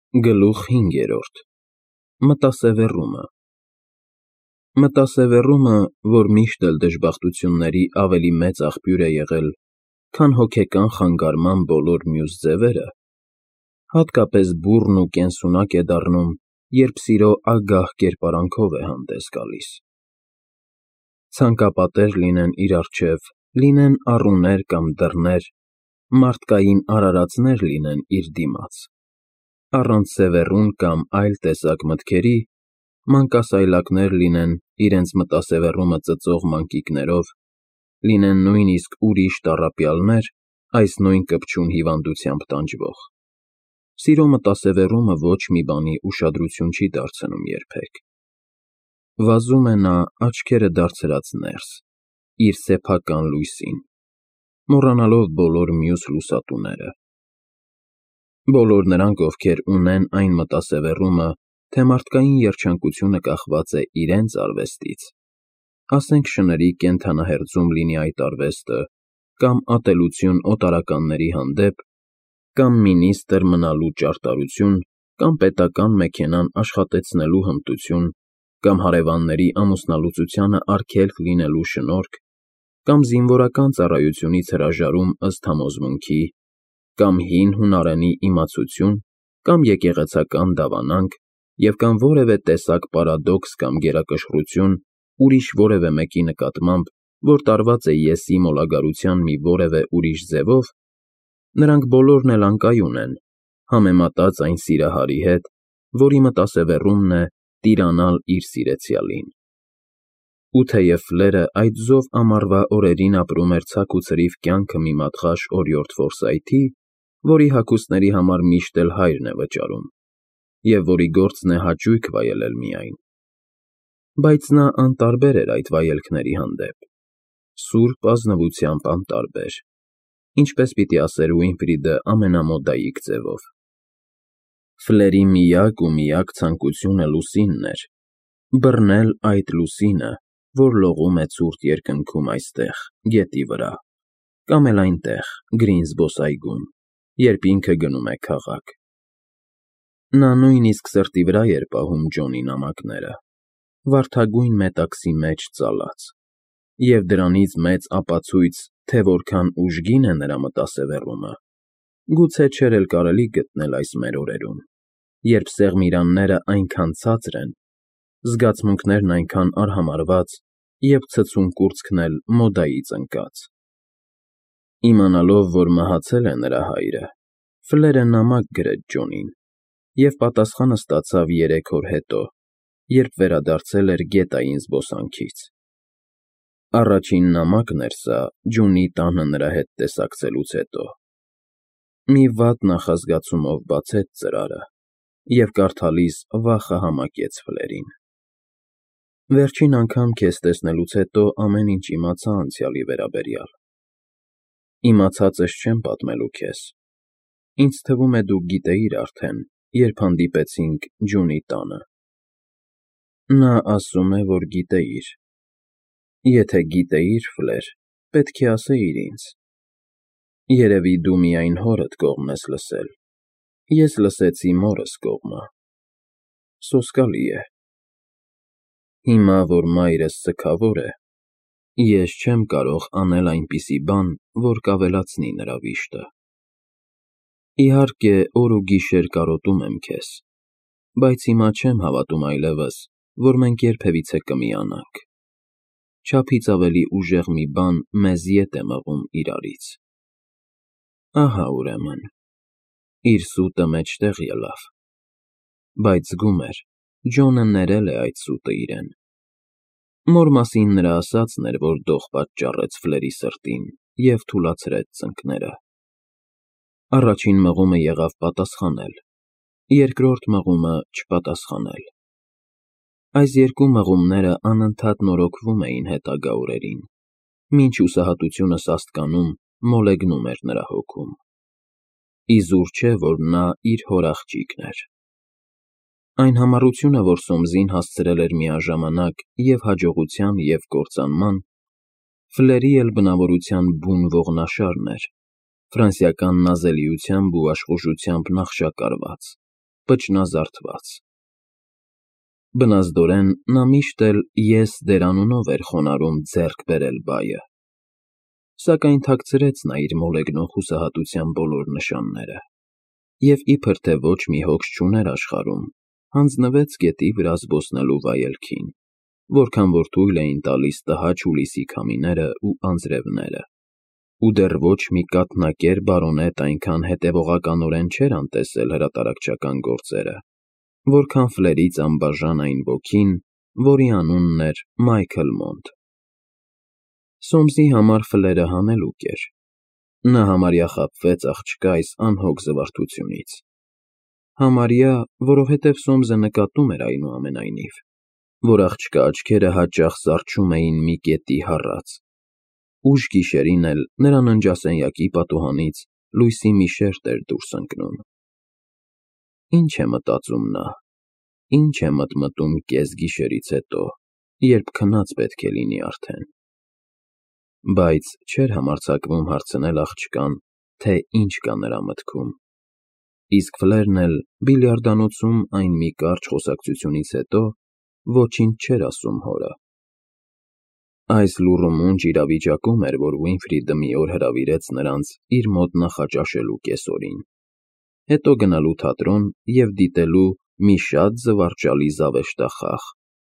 Գլուխ 5. Մտասևեռումը Մտասևեռումը, որ միշտ էլ դժբախտությունների ավելի մեծ աղբյուր է եղել, քան հոգեկան խանգարման բոլոր մյուս ձևերը, հատկապես բուռն ու կենսունակ է դառնում, երբ սիրո ագահ կերպարանքով է հանդես գալիս։ Ցանկապատեր լինեն իր առջև, լինեն առուներ կամ դռներ, մարդկային արարածներ լինեն իր դիմաց, առանց սևեռուն կամ այլ տեսակ մտքերի, մանկասայլակներ լինեն իրենց մտասևեռումը ծծող մանկիկներով, լինեն նույնիսկ ուրիշ տառապյալներ, այս նույն կպչուն հիվանդությամբ տանջվող, սիրո մտասևեռումը ոչ մի բանի ուշադրություն չի դարձնում երբեք։ Վազում է նա աչքերը դարձրած ներս, իր սեփական լույսին, մոռանալով բոլոր մյուս լուսատուները։ Բոլոր նրանք, ովքեր ունեն այն մտասևեռումը, թե մարդկային երջանկությունը կախված է իրենց արվեստից, ասենք շների կենդանահերձում լինի այդ արվեստը, կամ ատելություն օտարականների հանդեպ, կամ մինիստրը մնալու ճարտարություն, կամ պետական մեքենան աշխատեցնելու հմտություն, կամ հարևանների ամուսնալուծությանը արգելք լինելու շնորհք, կամ զինվորական ծառայությունից հրաժարում ըստ համոզմունքի, կամ հին հունարենի իմացություն, կամ եկեղեցական դավանանք, և կամ որևէ տեսակ պարադոքս կամ գերակշռություն ուրիշ որևէ մեկի նկատմամբ, որ տարված է եսի մոլագարության մի որևէ ուրիշ ձևով, նրանք բոլորն էլ անկայուն են, համեմատած այն սիրահարի հետ, որի մտասևեռումն է տիրանալ իր սիրեցյալին։ Ու թեև Ֆլերը այդ զով ամառվա օրերին ապրում էր ցակ ու ցրիվ կյանքը մի մատղաշ օրիորդ որսայթի, որի հագուստների համար միշտ էլ հայրն է վճարում, և որի գործն է հաճույք վայելել միայն, բայց նա անտարբեր էր այդ վայելքների հանդեպ, սուրբ ազնվությամբ անտարբեր, ինչպես պիտի ասեր Ուինֆրիդը ամենամոդայիկ ձևով։ Ֆլերի միակ ու միակ ցանկությունը լուսինն էր, բռնել այդ լուսինը, որ լողում է ցուրտ երկնքում այստեղ, գետի վրա, կամ էլ այնտեղ, գրին զբոսայգում, երբ ինքը գնում է քաղաք։ Նա նույնիսկ սրտի վրա էր պահում Ջոնի նամակները, վարդագույն մետաքսի մեջ ծալած, և դրանից մեծ ապացույց, թե որքան ուժգին է նրա մտասևեռումը, գուցե չէր էլ կարելի գտնել այս մեր օրերում, երբ սեղմիրանները այնքան ցածր են, զգացմունքներն այնքան արհամարհված և ցցուն կուրծքն էլ մոդայից ընկած։ Իմանալով, որ մահացել է նրա հայրը, Ֆլերը նամակ գրեց Ջոնին և պատասխանը ստացավ 3 օր հետո, երբ վերադարձել էր գետային զբոսանքից։ Առաջին նամակն էր սա Ջունի տանը նրա հետ տեսակցելուց հետո։ Մի վատ նախազգացումով բացեց ծրարը և կարդալիս վախը համակեց Ֆլերին։ Վերջին անգամ քեզ տեսնելուց հետո ամեն ինչ իմացա անցյալի վերաբերյալ։ Իմացածս չեմ պատմելու քեզ։ Ինձ թվում է դու գիտեիր արդեն, երբ հանդիպեցինք Ջունի տանը։ Նա ասում է, որ գիտեիր։ Եթե գիտեիր, Ֆլեր, պետք է ասեիր ինձ։ Երևի դու միայն հորդ կողմն ես լսել, ես լսեցի մորս կողմը։ Սոսկալի է։ Հիմա, որ մայրս սգավոր է, ես չեմ կարող անել այնպիսի բան, որ կավելացնի նրա վիշտը։ Իհարկե, օր ու գիշեր կարոտում եմ քեզ, բայց հիմա չեմ հավատում այլևս, որ մենք երբևիցե կմիանանք։ Չափից ավելի ուժեղ մի բան մեզ ետ է մղում իրարից։ Ահա ուրեմն, իր սուտը մեջտեղ ելավ։ Բայց զգում էր, Ջոնը ներել է այդ սուտը իրեն։ Մոր մասին նրա ասածն էր, որ դող պատճառեց Ֆլերի սրտին և թուլացրեց ծնկները։ Առաջին մղումը եղավ պատասխանել, երկրորդ մղումը չպատասխանել։ Այս երկու մղումները անընդհատ նորոգվում էին հետագա օրերին, մինչ հուսահատությունը սաստկանում, մոլեգնում էր նրա հոգում։ Իզուր չէ, որ նա իր հոր աղջիկն էր։ Այն համառությունը, որ Սոմսին հասցրել էր միաժամանակ և հաջողության և կործանման, Ֆլերի էլ բնավորության բուն ողնաշարն էր, ֆրանսիական նազելիությամբ ու աշխուժությամբ նախշակարված, պճնազարդված։ Բնազդորեն նա միշտ էլ ես դերանունով էր խոնարհում ձեռք բերել բայը, սակայն թաքցրեց նա իր մոլեգնող հուսահատության բոլոր նշանները և իբր թե ոչ մի հոգս չուներ աշխարհում, հանձնվեց գետի վրա զբոսնելու վայելքին, որքան որ թույլ էին տալիս տհաճ հուլիսի քամիները ու անձրևները, ու դեռ ոչ մի կաթնակեր բարոնետ այնքան հետևողականորեն չէր անտեսել հրատարակչական գործերը, որքան Ֆլերից անբաժան այն ոգին, որի անունն էր Մայքլ Մոնտ։ Սոմսի համար Ֆլերը հանելուկ էր։ Նա համարյա խաբվեց աղջկա այս անհոգ զվարթությունից։ Համարյա, որովհետև Սոմսը նկատում էր այնուամենայնիվ, որ աղջկա աչքերը հաճախ զառչում էին մի կետի հառած։ Ուշ գիշերին էլ նրա ննջասենյակի պատուհանից լույսի մի շերջ էր դուրս ընկնում։ Ինչ է մտածում նա, ինչ է մտմտում կեսգիշերից հետո, երբ քնած պետք է լինի արդեն։ Բայց չէր համարձակվում հարցնել աղջկան, թե ինչ կա նրա մտքում։ Իսկ Ֆլերն էլ բիլիարդանոցում այն մի կարճ խոսակցությունից հետո ոչինչ չէր ասում հորը։ Այս լուռումունջ իրավիճակում էր, որ Ուինֆրիդը մի օր հրավիրեց նրանց իր մոտ նախաճաշելու կեսօրին, հետո գնալու թատրոն և դիտելու մի շատ զվարճալի զավեշտախաղ՝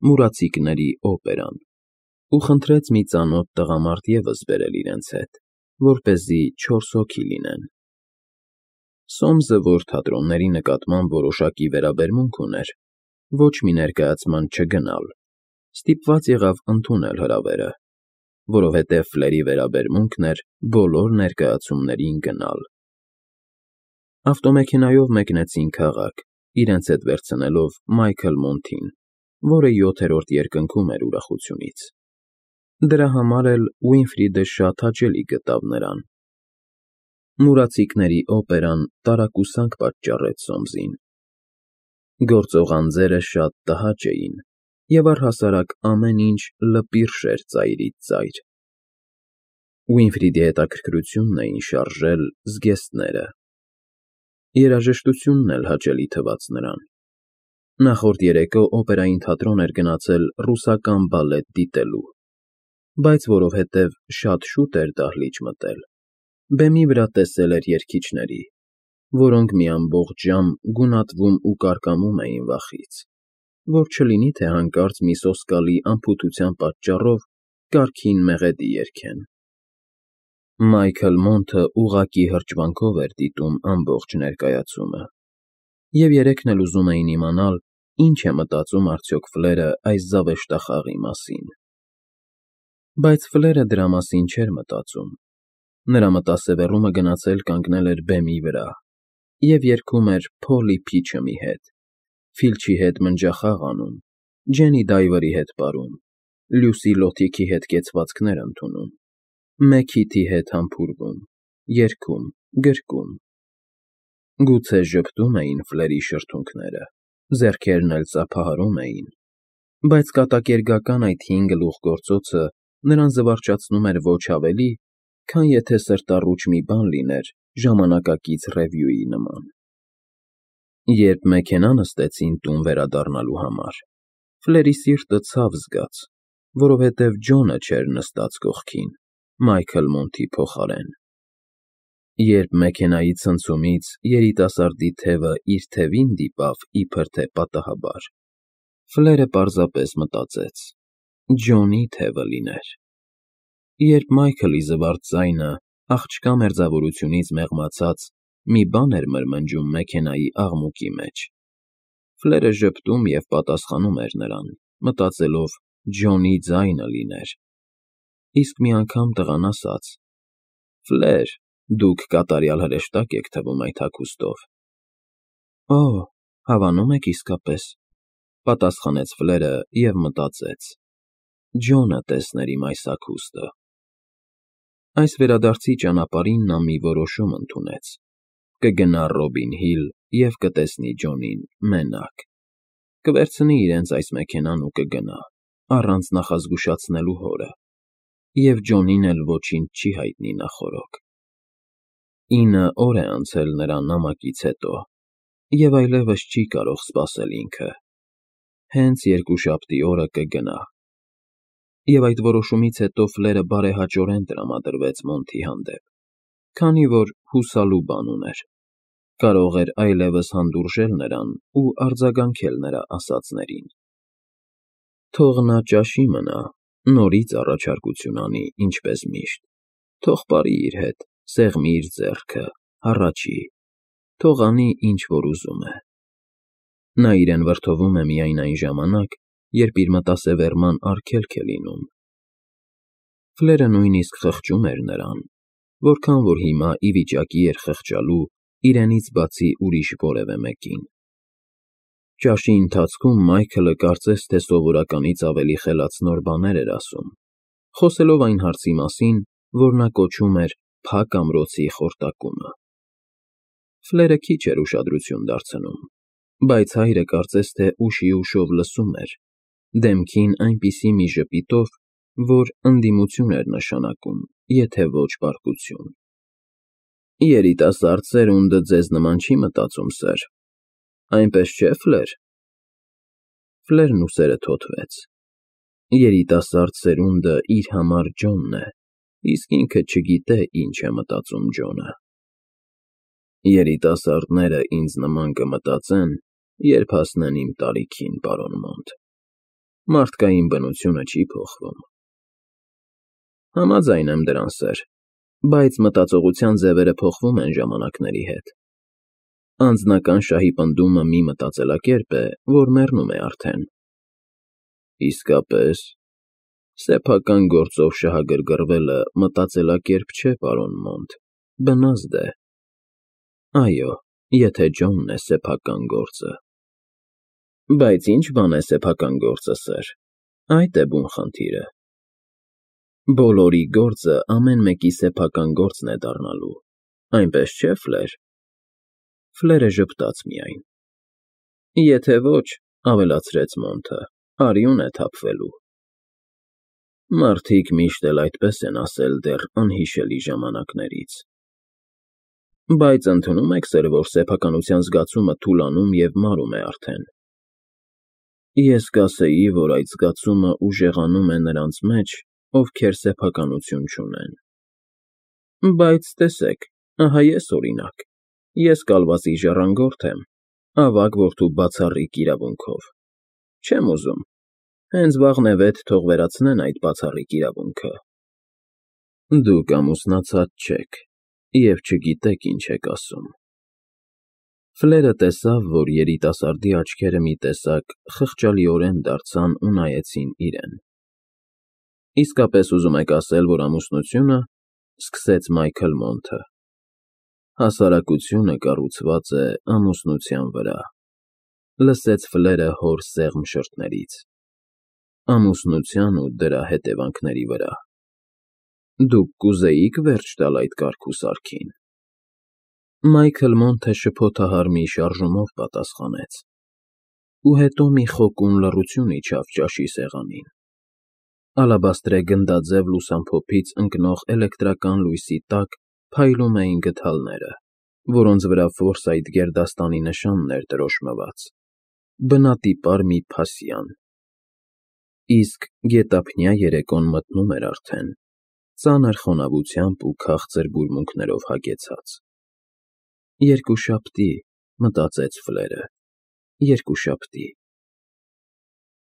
մուրացիկների օպերան, ու խնդրեց մի ծանոթ տղամարդ ևս բերել իրենց հետ, որպեսզի 4 հոգի լինեն։ Սոմսը, որ թատրոնների նկատմամբ որոշակի վերաբերմունք ուներ, ոչ մի ներկայացման չգնալ, ստիպված եղավ ընդունել հրավերը, որովհետև Ֆլերի վերաբերմունքն էր բոլոր ներկայացումներին գնալ։ Ավտոմեքենայով մեկնեցին քաղաք, իրենց հետ վերցնելով Մայքլ Մոնտին, որը 7-րդ երկնքում էր ուրախությունից։ Դրա համար էլ Ուինֆրիդը շատ հաճելի գտավ նրան։ Մուրացիկների օպերան տարակուսանք պատճառեց Սոմսին։ Գործող անձերը շատ տհաճ էին, և առհասարակ ամեն ինչ լպիրշ էր ծայրից ծայր։ Ուինֆրիդի հետաքրքրությունն էին շարժել զգեստները։ Երաժշտությունն էլ հաճելի թվաց նրան։ Նախորդ երեկո օպերային թատրոն էր գնացել ռուսական բալետ դիտելու, բայց որովհետև շատ շուտ էր դահլիճ մտել, բեմի վրա տեսել էր երգիչների, որոնք մի ամբողջ ժամ գունատվում ու կարկամում էին վախից, որ չլինի թե հանկարծ մի սոսկալի անփութության պատճառով կարգին մեղեդի երգեն։ Մայքլ Մոնտը ուղղակի հրճվանքով էր դիտում ամբողջ ներկայացումը, և երեքն էլ ուզում էին իմանալ, ինչ է մտածում արդյոք Ֆլերը այս զավեշտախաղի մասին։ Բայց Ֆլերը դրա մասին չէր մտածում։ Նրա մտասևեռումը գնացել կանգնել էր բեմի վրա և երգում էր Փոլի Փիչըմի հետ, Ֆիլչի հետ մնջախաղ անում, Ջենի Դայվերի հետ պարում, Լյուսի Լոթիքի հետ կեցվածքներ ընդունում, Մեքիթի հետ համբուրվում, երգում, գրկում։ Գուցե ժպտում էին Ֆլերի շրթունքները, ձեռքերն էլ ծափահարում էին, բայց կատակերգական այդ հին գլուխգործոցը նրան զվարճացնում էր ոչ ավելի, քան եթե սրտառուչ մի բան լիներ ժամանակակից ռևյուի նման։ Երբ մեքենա նստեցին տուն վերադառնալու համար, Ֆլերի սիրտը ցավ զգաց, որովհետև Ջոնը չէր նստած կողքին, Մայքլ Մոնտի փոխարեն։ Երբ մեքենայի ցնցումից երիտասարդի թևը իր թևին դիպավ իբր թե պատահաբար, Ֆլերը պարզապես մտածեց. Ջոնի թևը լիներ։ Երբ Մայքլի զվարթ ձայնը աղջկա մերձավորությունից մեղմացած մի բան էր մրմնջում մեքենայի աղմուկի մեջ, Ֆլերը ժպտում և պատասխանում էր նրան, մտածելով Ջոնի ձայնը լիներ։ Իսկ մի անգամ տղան ասաց. Ֆլեր, դուք կատարյալ հրեշտակ եք թվում այդ հագուստով։ Օ, հավանում եք իսկապես, պատասխանեց Ֆլերը և մտածեց. Ջոնը տեսներ իմ այս հագուստը։ Այս վերադարձի ճանապարհին նա մի որոշում ընդունեց. կգնա Ռոբին Հիլ և կտեսնի Ջոնին մենակ, կվերցնի իրենց այս մեքենան ու կգնա, առանց նախազգուշացնելու հորը, և Ջոնին էլ ոչինչ չի հայտնի նախօրոք։ 9 օր է անցել նրա նամակից հետո, և այլևս չի կարող սպասել ինքը, հենց երկուշաբթի օրը կգնա։ Եվ այդ որոշումից հետո Ֆլերը բարեհաճորեն տրամադրվեց Մոնթի հանդեպ, քանի որ հուսալու բան ուներ, կարող էր այլևս հանդուրժել նրան ու արձագանքել նրա ասածներին։ Թող նա ճաշի մնա, նորից առաջարկություն անի, ինչպես միշտ, թող πάρի իր հետ, սեղմի իր ձեռքը, հառաչի, թող անի, ինչ որ ուզում է։ Նա իրեն վրդովում է միայն այն ժամանակ, երբ իր մտասևեռման արգելք է լինում։ Ֆլերը նույնիսկ խղճում էր նրան, որքան որ հիմա ի վիճակի էր խղճալու իրենից բացի ուրիշ որևէ մեկին։ Ճաշի ընթացքում Մայքլը կարծես թե սովորականից ավելի խելացնոր բաներ էր ասում, խոսելով այն հարցի մասին, որ նա կոչում էր «փակ ամրոցի խորտակումը»։ Ֆլերը քիչ էր ուշադրություն դարձնում, բայց հայրը կարծես թե ուշիուշով լսում էր, դեմքին այնպիսի մի ժպիտով, որ ընդդիմություն էր նշանակում, եթե ոչ պարկություն։ Երիտասարդ սերունդը ձեզ նման չի մտածում, սըր, այնպես չէ՞, Ֆլեր։ Ֆլերն ուսերը թոթվեց։ Երիտասարդ սերունդը իր համար Ջոնն է, իսկ ինքը չգիտե ինչ է մտածում Ջոնը։ Երիտասարդները ինձ նման կմտածեն, երբ հասնեն իմ տարիքին, պարոն Մոնտ։ Մարդկային բնությունը չի փոխվում։ Համաձայն եմ դրան, սըր, բայց մտածողության ձևերը փոխվում են ժամանակների հետ։ Անձնական շահի պնդումը մի մտածելակերպ է, որ մեռնում է արդեն։ Իսկապես, սեփական գործով շահագրգռվելը մտածելակերպ չէ, պարոն Մոնտ, բնազդ է։ Այո, եթե Ջոնն է սեփական գործը։ Բայց ի՞նչ բան է սեփական գործը, սըր, այդ է բուն խնդիրը։ Բոլորի գործը ամեն մեկի սեփական գործն է դառնալու, այնպես չէ, Ֆլեր։ Ֆլերը ժպտաց միայն։ Եթե ոչ, ավելացրեց Մոնթը, արյուն է թափվելու։ Մարդիկ միշտ էլ այդպես են ասել դեռ անհիշելի ժամանակներից։ Բայց ընդունում եք, սըր, որ սեփականության զգացումը թուլանում և մարում է արդեն։ Ես կասեի, որ այդ զգացումը ուժեղանում է նրանց մեջ, ովքեր սեփականություն չունեն։ Բայց տեսեք, ահա ես օրինակ, ես կալվածի ժառանգորդ եմ, ավագ որդու բացառիկ իրավունքով։ Չեմ ուզում, հենց վաղնևեթ թող վերացնեն այդ բացառիկ իրավունքը։ Դուք ամուսնացած չեք և չգիտեք ինչ եք ասում։ Ֆլերը տեսավ, որ երիտասարդի աչքերը մի տեսակ խղճալիորեն դարձան ու նայեցին իրեն։ Իսկապես ուզում եք ասել, որ ամուսնությունը, սկսեց Մայքլ Մոնթը, հասարակությունը կառուցված է ամուսնության վրա, լսեց Ֆլերը հոր սեղմ շրթներից, ամուսնության ու դրա հետևանքների վրա։ Դուք կուզեիք վերջ տալ այդ կարգ ու սարքին։ Մայքլ Մոնթը շփոթահար մի շարժումով պատասխանեց, ու հետո մի խոկուն լռություն իջավ ճաշի սեղանին։ Ալաբաստրե գնդաձև լուսամփոփից ընկնող էլեկտրական լույսի տակ փայլում էին գդալները, որոնց վրա Ֆորսայթ գերդաստանի նշանն էր տրոշմված, բնատիպար մի փասյան։ Իսկ գետափնյա երեկոն մթնում էր արդեն, ծանր խոնավությամբ ու քաղցր բուրմունքներով հագեցած։ Երկուշաբթի, մտածեց Ֆլերը, երկուշաբթի։